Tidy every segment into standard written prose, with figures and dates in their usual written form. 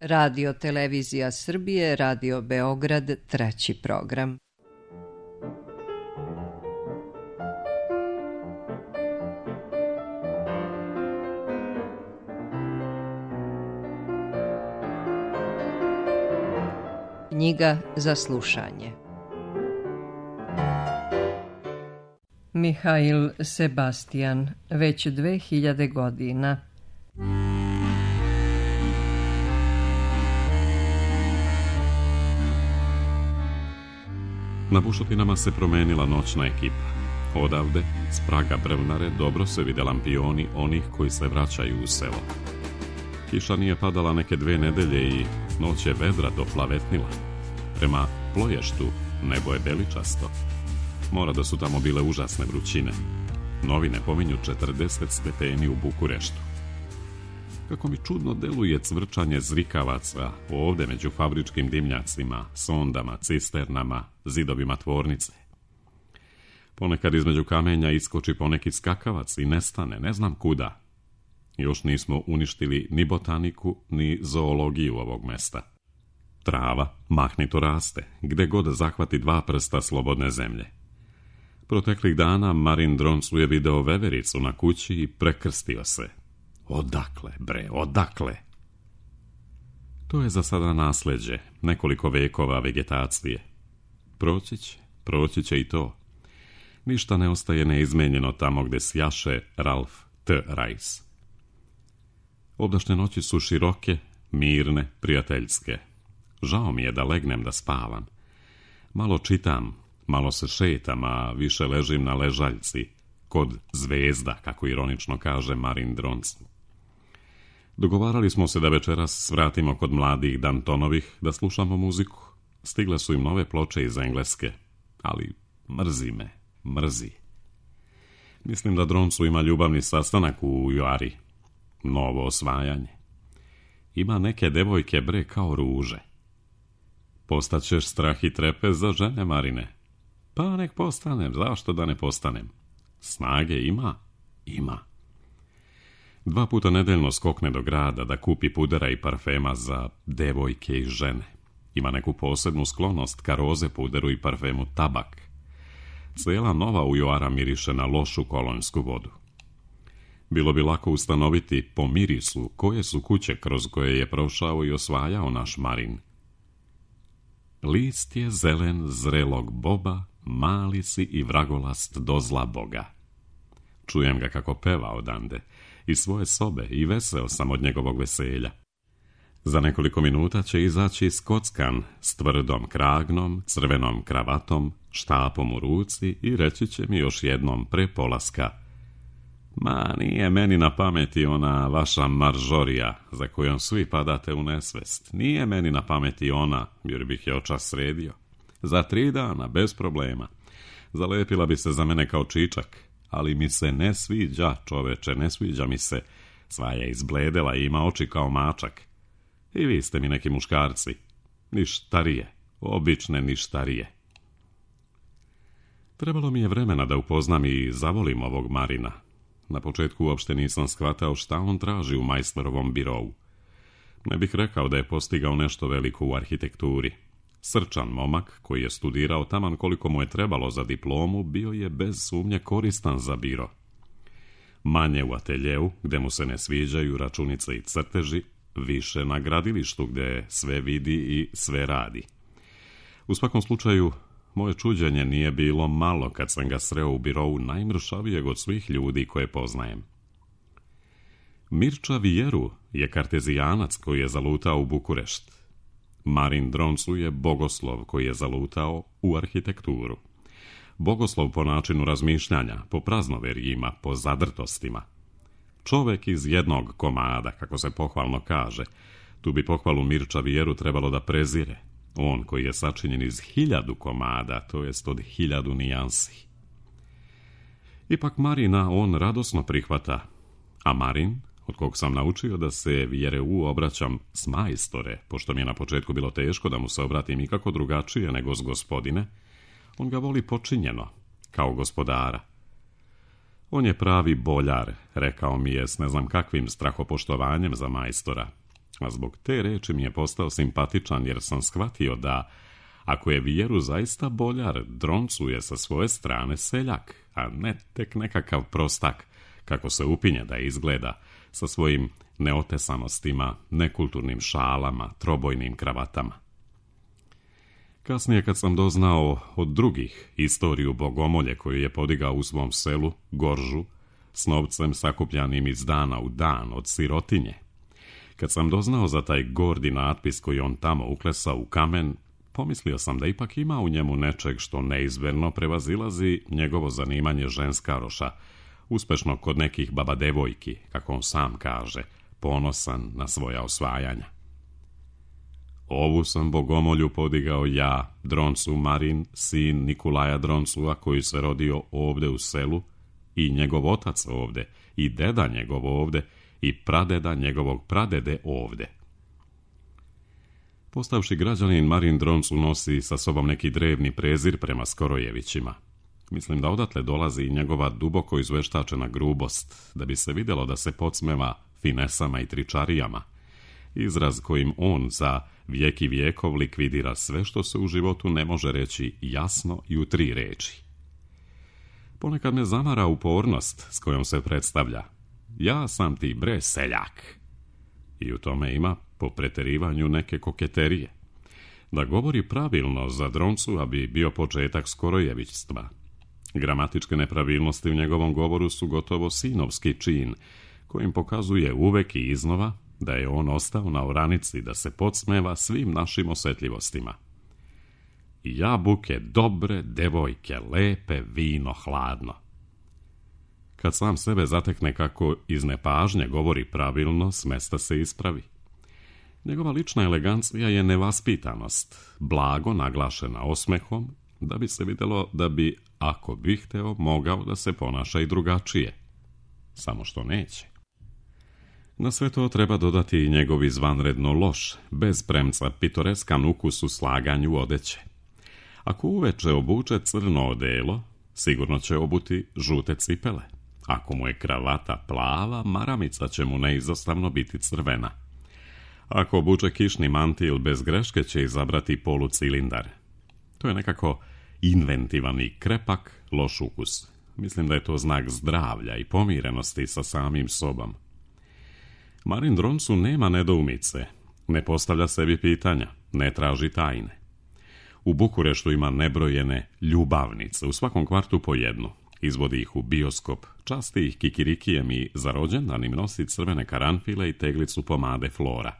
Radio Televizija Srbije, Radio Beograd, 3. program. Knjiga za slušanje. Mihail Sebastian, već 2000 godina. Na bušotinama se promenila noćna ekipa. Odavde, s praga Brvnare, dobro se vide lampioni onih koji se vraćaju u selo. Kiša nije padala neke 2 nedelje i noć je vedra doplavetnila. Prema Ploještu nebo je beličasto. Mora da su tamo bile užasne vrućine. Novine pominju 40 stepeni u Bukureštu. Kako mi čudno deluje cvrčanje zrikavaca ovde među fabričkim dimnjacima, sondama, cisternama, zidovima tvornice. Ponekad između kamenja iskoči poneki skakavac i nestane, ne znam kuda. Još nismo uništili ni botaniku, ni zoologiju ovog mesta. Trava mahnito raste, gde god zahvati 2 prsta slobodne zemlje. Proteklih dana Marin Droncu je video vevericu na kući i prekrstio se. Odakle, bre, odakle? To je za sada nasleđe, nekoliko vekova vegetacije. Proći će i to. Ništa ne ostaje neizmenjeno tamo gde sjaše Ralph T. Rice. Obdašnje noći su široke, mirne, prijateljske. Žao mi je da legnem da spavam. Malo čitam, malo se šetam, a više ležim na ležaljci, kod zvezda, kako ironično kaže Marin Droncu. Dogovarali smo se da večeras svratimo kod mladih Dantonovih da slušamo muziku. Stigle su im nove ploče iz Engleske, ali mrzi. Mislim da Droncu ima ljubavni sastanak u Juari. Novo osvajanje. Ima neke devojke, bre, kao ruže. Postaćeš strah i trepez za žene, Marine? Pa nek postanem, zašto da ne postanem? Snage ima? Ima. 2 puta nedeljno skokne do grada da kupi pudera i parfema za devojke i žene. Ima neku posebnu sklonost ka roze puderu i parfemu tabak. Cijela Nova Ujoara miriše na lošu kolonjsku vodu. Bilo bi lako ustanoviti po mirisu koje su kuće kroz koje je prošao i osvajao naš Marin. List je zelen zrelog boba, mali si i vragolast do zla Boga. Čujem ga kako peva odande, iz svoje sobe, i veseo sam od njegovog veselja. Za nekoliko minuta će izaći skockan s tvrdom kragnom, crvenom kravatom, štapom u ruci i reći će mi još jednom pre polaska: ma, nije meni na pameti ona vaša maržorija za kojom svi padate u nesvest. Nije meni na pameti ona, jer bih je očas sredio. Za 3 dana, bez problema. Zalepila bi se za mene kao čičak, ali mi se ne sviđa, čoveče, ne sviđa mi se. Sva je izbledela i ima oči kao mačak. I vi ste mi neki muškarci. Ništarije, obične ništarije. Trebalo mi je vremena da upoznam i zavolim ovog Marina. Na početku uopšte nisam shvatao šta on traži u majstorovom birovu. Ne bih rekao da je postigao nešto veliko u arhitekturi. Srčan momak, koji je studirao taman koliko mu je trebalo za diplomu, bio je bez sumnje koristan za biro. Manje u ateljeu, gde mu se ne sviđaju računice i crteži, više na gradilištu, gde sve vidi i sve radi. U svakom slučaju, moje čuđenje nije bilo malo kad sam ga sreo u birovu najmršavijeg od svih ljudi koje poznajem. Mirča Vijeru je kartezijanac koji je zalutao u Bukurešt. Marin Droncu je bogoslov koji je zalutao u arhitekturu. Bogoslov po načinu razmišljanja, po praznoverjima, po zadrtostima. Čovek iz jednog komada, kako se pohvalno kaže. Tu bi pohvalu Mirča Vijeru trebalo da prezire. On koji je sačinjen iz 1000 komada, to jest od 1000 nijansi. Ipak Marina on radosno prihvata, a Marin, od kog sam naučio da se Vjereu obraćam s majstore, pošto mi je na početku bilo teško da mu se obratim ikako drugačije nego s gospodine, on ga voli počinjeno, kao gospodara. On je pravi boljar, rekao mi je s ne znam kakvim strahopoštovanjem za majstora. A zbog te reči mi je postao simpatičan, jer sam shvatio da, ako je vjeru zaista boljar, Droncu je sa svoje strane seljak, a ne tek nekakav prostak, kako se upinje da izgleda, sa svojim neotesanostima, nekulturnim šalama, trobojnim kravatama. Kasnije, kad sam doznao od drugih istoriju bogomolje koju je podigao u svom selu, Goržu, s novcem sakupljanim iz dana u dan od sirotinje, kad sam doznao za taj gordi natpis koji on tamo uklesao u kamen, pomislio sam da ipak ima u njemu nečeg što neizmjerno prevazilazi njegovo zanimanje ženskaroša, uspešno kod nekih baba devojki, kako on sam kaže, ponosan na svoja osvajanja. Ovu sam bogomolju podigao ja, Droncu Marin, sin Nikolaja Droncua, koji se rodio ovde u selu, i njegov otac ovde, i deda njegov ovde, i pradeda njegovog pradede ovde. Postavši građanin, Marin Droncu nosi sa sobom neki drevni prezir prema Skorojevićima. Mislim da odatle dolazi i njegova duboko izveštačena grubost, da bi se vidjelo da se podsmeva finesama i tričarijama, izraz kojim on za vijek i vijekov likvidira sve što se u životu ne može reći jasno i u 3 reči. Ponekad me zamara upornost s kojom se predstavlja: ja sam ti bre seljak. I u tome ima, po preterivanju, neke koketerije. Da govori pravilno za Droncu bi bio početak skorojevićstva. Gramatičke nepravilnosti u njegovom govoru su gotovo sinovski čin, kojim pokazuje uvek i iznova da je on ostao na oranici da se podsmeva svim našim osjetljivostima. Jabuke dobre, devojke lepe, vino hladno. Kad sam sebe zatekne kako iz nepažnje govori pravilno, smesta se ispravi. Njegova lična elegancija je nevaspitanost, blago naglašena osmehom, da bi se vidjelo da bi, ako bi hteo, mogao da se ponaša i drugačije. Samo što neće. Na sve to treba dodati i njegov izvanredno loš, bez premca pitoreskan ukus u slaganju odeće. Ako uveče obuče crno odelo, sigurno će obuti žute cipele. Ako mu je kravata plava, maramica će mu neizostavno biti crvena. Ako obuče kišni mantil, bez greške će izabrati polucilindar. To je nekako inventivan i krepak, loš ukus. Mislim da je to znak zdravlja i pomirenosti sa samim sobom. Marin Droncu nema nedoumice, ne postavlja sebi pitanja, ne traži tajne. U Bukureštu ima nebrojene ljubavnice, u svakom kvartu po jednu. Izvodi ih u bioskop, časti ih kikirikijem i za rođendan im nosi crvene karanfile i teglicu pomade Flora.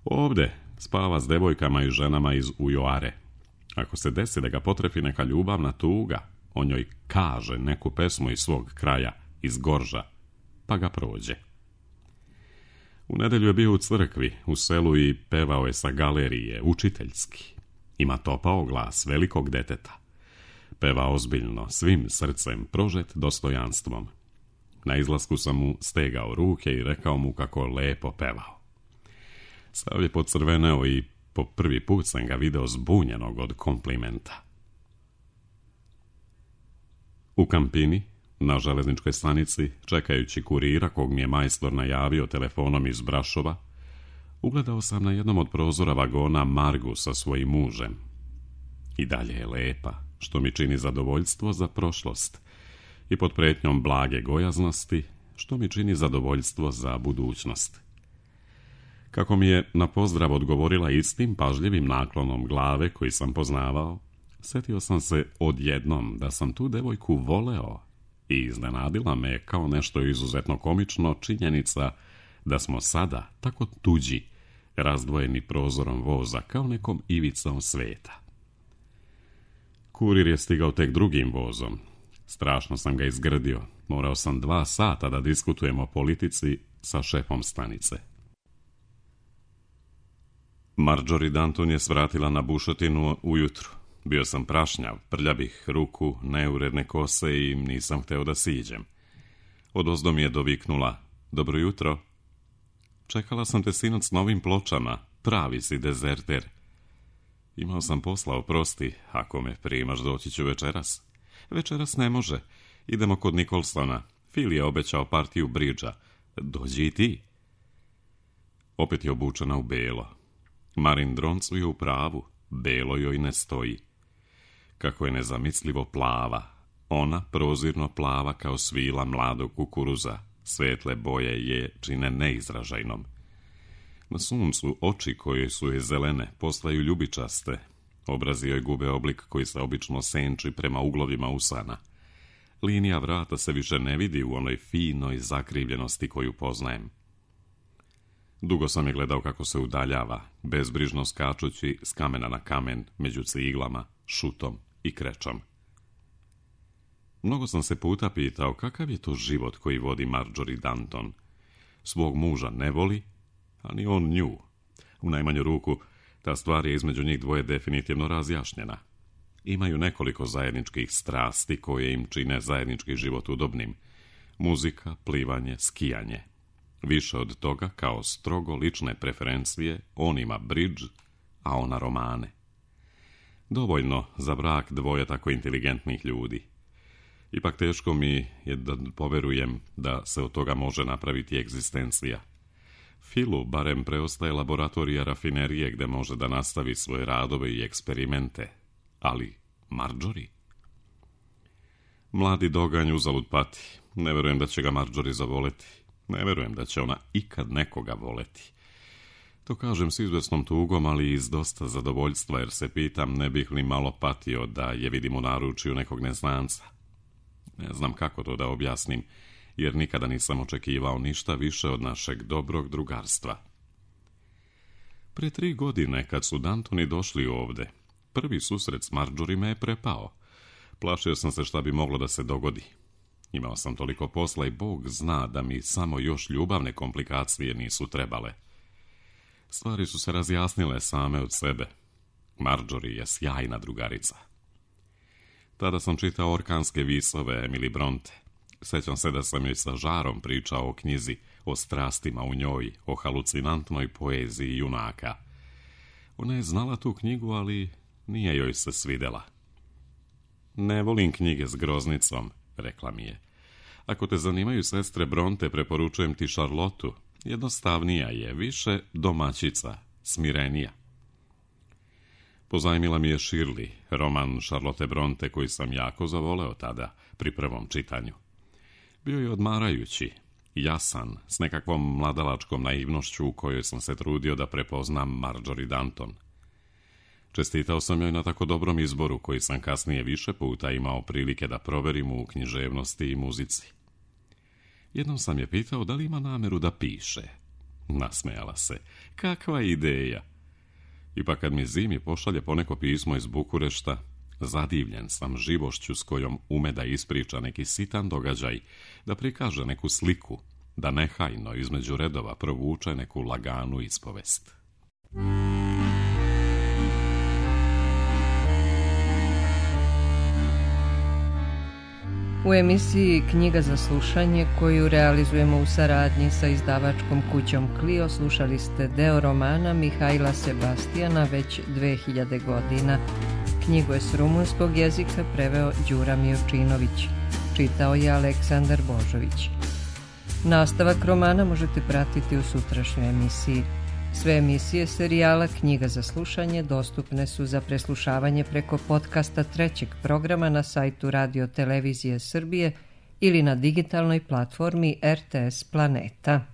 Ovde spava s devojkama i ženama iz Ujoare. Ako se desi da ga potrefi neka ljubavna tuga, on njoj kaže neku pesmu iz svog kraja, iz Gorža, pa ga prođe. U nedelju je bio u crkvi, u selu, i pevao je sa galerije, učiteljski. Ima topao glas velikog deteta. Peva ozbiljno, svim srcem, prožet dostojanstvom. Na izlasku sam mu stegao ruke i rekao mu kako lepo pevao. Sav je pocrveneo i po prvi put sam ga video zbunjenog od komplimenta. U Kampini, na železničkoj stanici, čekajući kurira kog mi je majstor najavio telefonom iz Brašova, ugledao sam na jednom od prozora vagona Margu sa svojim mužem. I dalje je lepa, što mi čini zadovoljstvo za prošlost, i pod pretnjom blage gojaznosti, što mi čini zadovoljstvo za budućnost. Kako mi je na pozdrav odgovorila istim pažljivim naklonom glave koji sam poznavao, setio sam se odjednom da sam tu devojku voleo i iznenadila me kao nešto izuzetno komično činjenica da smo sada tako tuđi, razdvojeni prozorom voza kao nekom ivicom sveta. Kurir je stigao tek drugim vozom. Strašno sam ga izgrdio. Morao sam 2 sata da diskutujem o politici sa šefom stanice. Marjorie Danton je svratila na bušotinu ujutru. Bio sam prašnjav, prljavih ruku, neuredne kose i nisam hteo da siđem. Odozdo mi je doviknula: dobro jutro. Čekala sam te sinoć s novim pločama, pravi si dezerter. Imao sam posla, oprosti, ako me primaš doći ću večeras. Večeras ne može, idemo kod Nikolsona. Phil je obećao partiju bridža. Dođi i ti. Opet je obučena u belo. Marin Droncu je u pravu, belo joj ne stoji. Kako je nezamislivo plava, ona prozirno plava kao svila mladog kukuruza, svetle boje je čine neizražajnom. Na suncu oči koje su je zelene postaju ljubičaste, obrazi joj gube oblik koji se obično senči prema uglovima usana. Linija vrata se više ne vidi u onoj finoj zakrivljenosti koju poznajem. Dugo sam je gledao kako se udaljava, bezbrižno skačući s kamena na kamen, među ciglama, šutom i krečom. Mnogo sam se puta pitao kakav je to život koji vodi Marjorie Danton. Svog muža ne voli, a ni on nju. U najmanju ruku, ta stvar je između njih dvoje definitivno razjašnjena. Imaju nekoliko zajedničkih strasti koje im čine zajednički život udobnim. Muzika, plivanje, skijanje. Više od toga, kao strogo lične preferencije, on ima bridge, a ona romane. Dovoljno za brak dvoje tako inteligentnih ljudi. Ipak teško mi je da poverujem da se od toga može napraviti egzistencija. Filu barem preostaje laboratorija rafinerije gde može da nastavi svoje radove i eksperimente. Ali Marjorie? Mladi doganj uzalud pati. Ne verujem da će ga Marjorie zavoleti. Ne verujem da će ona ikad nekoga voleti. To kažem s izvesnom tugom, ali i s dosta zadovoljstva, jer se pitam ne bih li malo patio da je vidim u naručju nekog neznanca. Ne znam kako to da objasnim, jer nikada nisam očekivao ništa više od našeg dobrog drugarstva. Pre 3 godine, kad su Dantoni došli ovde, prvi susret s Marjorie me je prepao. Plašio sam se šta bi moglo da se dogodi. Imao sam toliko posla i Bog zna da mi samo još ljubavne komplikacije nisu trebale. Stvari su se razjasnile same od sebe. Marjorie je sjajna drugarica. Tada sam čitao orkanske visove Emily Bronte. Sećam se da sam joj sa žarom pričao o knjizi, o strastima u njoj, o halucinantnoj poeziji junaka. Ona je znala tu knjigu, ali nije joj se svidela. Ne volim knjige s groznicom, rekla mi je. Ako te zanimaju sestre Bronte, preporučujem ti Charlotu. Jednostavnija je, više domaćica, smirenija. Pozajmila mi je Shirley, roman Charlotte Bronte koji sam jako zavoleo tada, pri prvom čitanju. Bio je odmarajući, jasan, s nekakvom mladalačkom naivnošću u kojoj sam se trudio da prepoznam Marjorie Danton. Čestitao sam joj na tako dobrom izboru koji sam kasnije više puta imao prilike da proverim u književnosti i muzici. Jednom sam je pitao da li ima nameru da piše. Nasmejala se. Kakva ideja! Ipak kad mi zimi pošalje poneko pismo iz Bukurešta, zadivljen sam živošću s kojom ume da ispriča neki sitan događaj, da prikaže neku sliku, da nehajno između redova provuče neku laganu ispovest. U emisiji Knjiga za slušanje, koju realizujemo u saradnji sa izdavačkom kućom Clio, slušali ste deo romana Mihajla Sebastijana već 2000 godina. Knjigu je s rumunskog jezika preveo Đura Mijočinović. Čitao je Aleksandar Božović. Nastavak romana možete pratiti u sutrašnjoj emisiji. Sve emisije serijala Knjiga za slušanje dostupne su za preslušavanje preko podcasta 3. programa na sajtu Radio Televizije Srbije ili na digitalnoj platformi RTS Planeta.